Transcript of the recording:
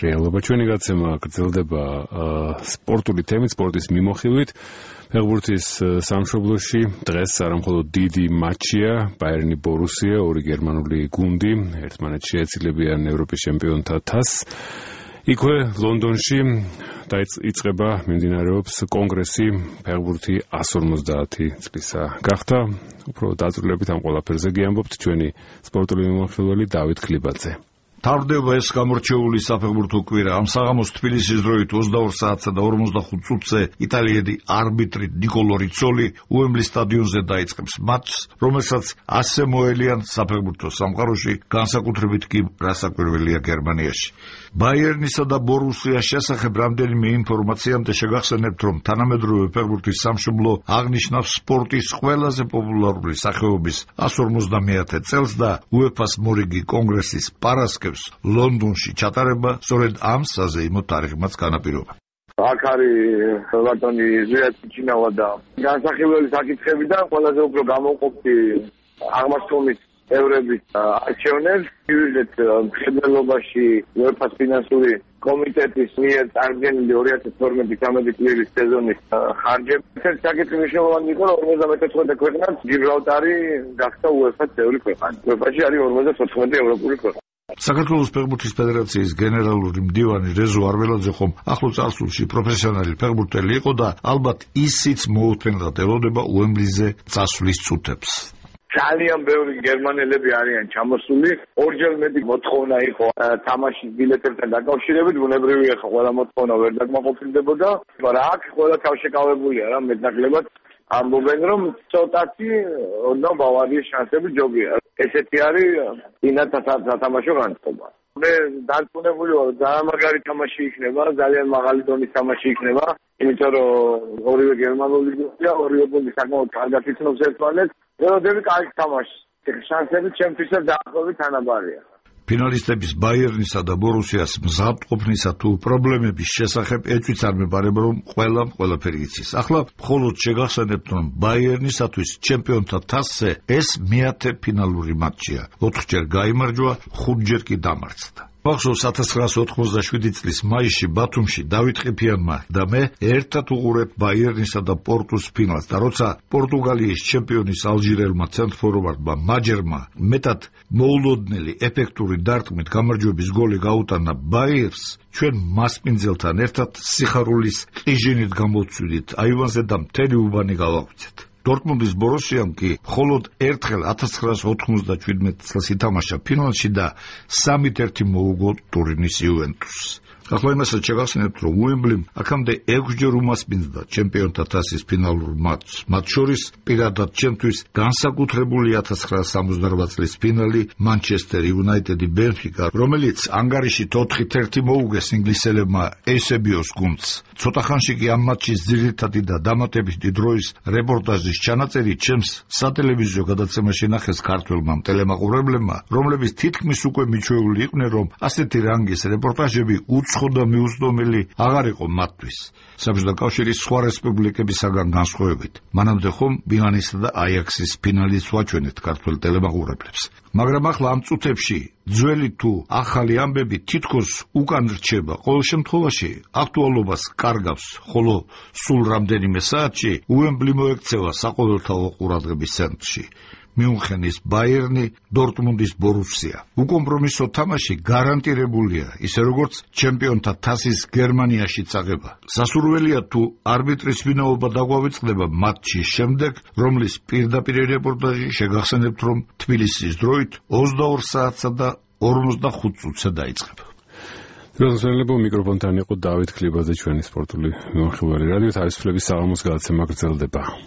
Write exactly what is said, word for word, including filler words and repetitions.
რეალობა. ჩვენი გაცემა გრძელდება სპორტული თემით, სპორტის მიმოხილვით. ფეხბურთის სამშობლოში დღეს არამხოლოდ დიდი მატჩია, ბაიერნი ბორუსია, ორი გერმანული გუნდი ერთმანეთს შეეცილებიან ევროპის ჩემპიონთა თასს. იქვე ლონდონში დაიწყება მიმდინარეობს კონგრესი ფეხბურთი εκατს ორმოცდაათი წლისა გახდა. უფრო დაწვრილებით ამ ყველაფერზე გიამბობთ ჩვენი სპორტული მიმოხილველი დავით ქლიბაძე. Tavdeva ეს გამორჩეული საფეხბურთო კვირა ამ საღამოს თბილისის დროით ოცდაორ საათსა და ორმოცდახუთ წუთზე იტალიელი არბიტრი ნიკოლო რიცოლი უემბლის სტადიონზე დაიწყებს მატჩს, რომელსაც ასე მოელიან საფეხბურთო სამყაროში, განსაკუთრებით კი რასაკვირველია გერმანიაში. ბაიერნისა და ბორუსიას შესახებ რამდენიმე ინფორმაციამდე შეგახსენებთ, რომ თანამედროვე ფეხბურთის სამშობლო აღნიშნავს სპორტის ყველაზე პოპულარული სახეობის εκατს ორმოცდამეათე წელს და უეფას მორიგი კონგრესის პარასკევს ლონდონში ჩატარება სწორედ ამ საზეიმო თარიღმაც განაპირობა. აქ არის ბატონი ზვიათიჩინავა და განსახილველი საკითხებიდან ყველაზე უფრო გამოვყოფი აღმასრულის ევრების არჩევნებს ვიდეთ მხედველობაში უეფას ფინანსური კომიტეტის მიერ წარდგენილი ორი ათას თორმეტი თერთმეტი წლის სეზონის ხარჯები. ეს საკითხი მნიშვნელოვანი იყო, რომ ორმოცდამეთოთხმეტე ქვეყანაც გიბრალტარი გახდა უეფას წევრი ქვეყანა. უეფაში არის ორმოცდათოთხმეტი ევროპული ქვეყანა. საქართველოს ფეხბურთის ფედერაციის გენერალური მდივანი რეზო არველაძე ხომ ახლო წარსულში პროფესიონალი ფეხბურთელი იყო და ალბათ ისიც მოუთმენლად ელოდება უემბლიზე წასვლის წუთებს. ძალიან ბევრი გერმანელები არიან ჩამოსული, ორჯერ მეტი მოთხოვნა იყო თამაშის ბილეთებთან დაკავშირებით, ბუნებრივია ხო ყველა მოთხოვნა ვერ დაკმაყოფილდებოდა, მაგრამ აქ ყველა თავშეკავებულია რა მეტნაკლებად ამბობენ რომ ცოტათი და ბავარიის შანსები ჯობია. ესეთი არის ინათა სათამაშო განწყობა. მე დარწმუნებული ვარ, ძალიან მაგარი თამაში იქნება, ძალიან მაღალი დონის თამაში იქნება, იმიტომ რომ ორივე გერმანული გუნდია, ორივე გუნდი საკმაოდ კარგად იცნობს ერთმანეთს. ველოდები კარგი თამაში. შანსები ჩემთვისაც დაახლოებით თანაბარია. ფინალისტების ბაიერნისა და ბორუსიას მზადყოფნისა თუ პრობლემების შესახებ ეჭვიც არ მეპარება, რომ ყველამ ყველაფერი იცის. ახლა მხოლოდ შეგახსენებთ, რომ ბაიერნისათვის ჩემპიონთა თასზე ეს მეათე ფინალური მატჩია. ოთხჯერ გაიმარჯვა, ხუთჯერ კი დამარცხდა. მახსოვს ათას ცხრაასი ოთხმოცდაშვიდი წლის მაისში ბათუმში დავით ყიფიანმა და მე ერთად უყურებთ ბაიერნისა და პორტუს ფინალს და როცა პორტუგალიის ჩემპიონის ალჟირელმა ცენტრფორვარდმა მაჯერმა მეტად მოულოდნელი ეფექტური დარტყმით გამარჯვების გოლი გაუტანა ბაიერს, ჩვენ მასპინძელთან ერთად სიხარულის ყიჟინით გამოვცვიდით აივანზე და მთელი უბანი გავაღვიძეთ. დორტმუნდის ბორუსიამ კი მხოლოდ ერთხელ ათას ცხრაასი ოთხმოცდაჩვიდმეტ წელს ითამაშა ფინალში და სამით ერთი მოუგო ტურინის იუვენტუსს. ახლა იმასაც შეგახსენებთ, რომ უემბლიმ აქამდე ექვსჯერ უმასპინძლა ჩემპიონთა თასის ფინალურ მატჩს. მათ შორის პირადად ჩემთვის განსაკუთრებული ათას ცხრაასი სამოცდარვა წლის ფინალი მანჩესტერ იუნაიტედი ბენფიკა, რომელიც ანგარიშით ოთხით ერთი მოუგეს ინგლისელებმა ეისებიოს გუნდს. ცოტა ხანში კი ამ მატჩის ძირითადი და დამატებითი დროის რეპორტაჟის ჩანაწერი ჩემს სატელევიზიო გადაცემაში ნახეს ქართველმა ტელემაყურებლებმა, რომლებიც თითქმის უკვე მიჩვეული იყვნენ, რომ ასეთი რანგის რეპორტაჟები უცხო და მიუწვდომელი აღარ იყო მათთვის. საბჭოთა კავშირის სხვა რესპუბლიკებისაგან განსხვავებით. მანამდე ხომ მილანისა და აიაქსის ფინალიც ვაჩვენეთ ქართველ ტელემაყურებლებს. მაგრამ ახლა ამ წუთებში ძველი თუ ახალი ამბები თითქოს უკან რჩება. ყოველ შემთხვევაში აქტუალობას კარგავს, ხოლო სულ რამდენიმე საათში უემბლი მოექცევა საყოველთაო ყურადღების ცენტრში. მიუნხენის ბაიერნი, დორტმუნდის ბორუსია. უკომპრომისო თამაში გარანტირებულია, ისე როგორც ჩემპიონთა თასის გერმანიაში წაღება. სასურველია თუ არბიტრის ვინაობა დაგვავიწყდება მატჩის შემდეგ, რომლის პირდაპირ რეპორტაჟი შეგახსენებთ, რომ თბილისის დროით ოცდაორ საათსა და ორმოცდახუთ წუთზე დაიწყება. დროშელებო მიკროფონთან იყო დავით ქლიბაძე, ჩვენი სპორტული მიმოხილველი. რადიო თავისუფლების საღამოს გადაცემა გრძელდება.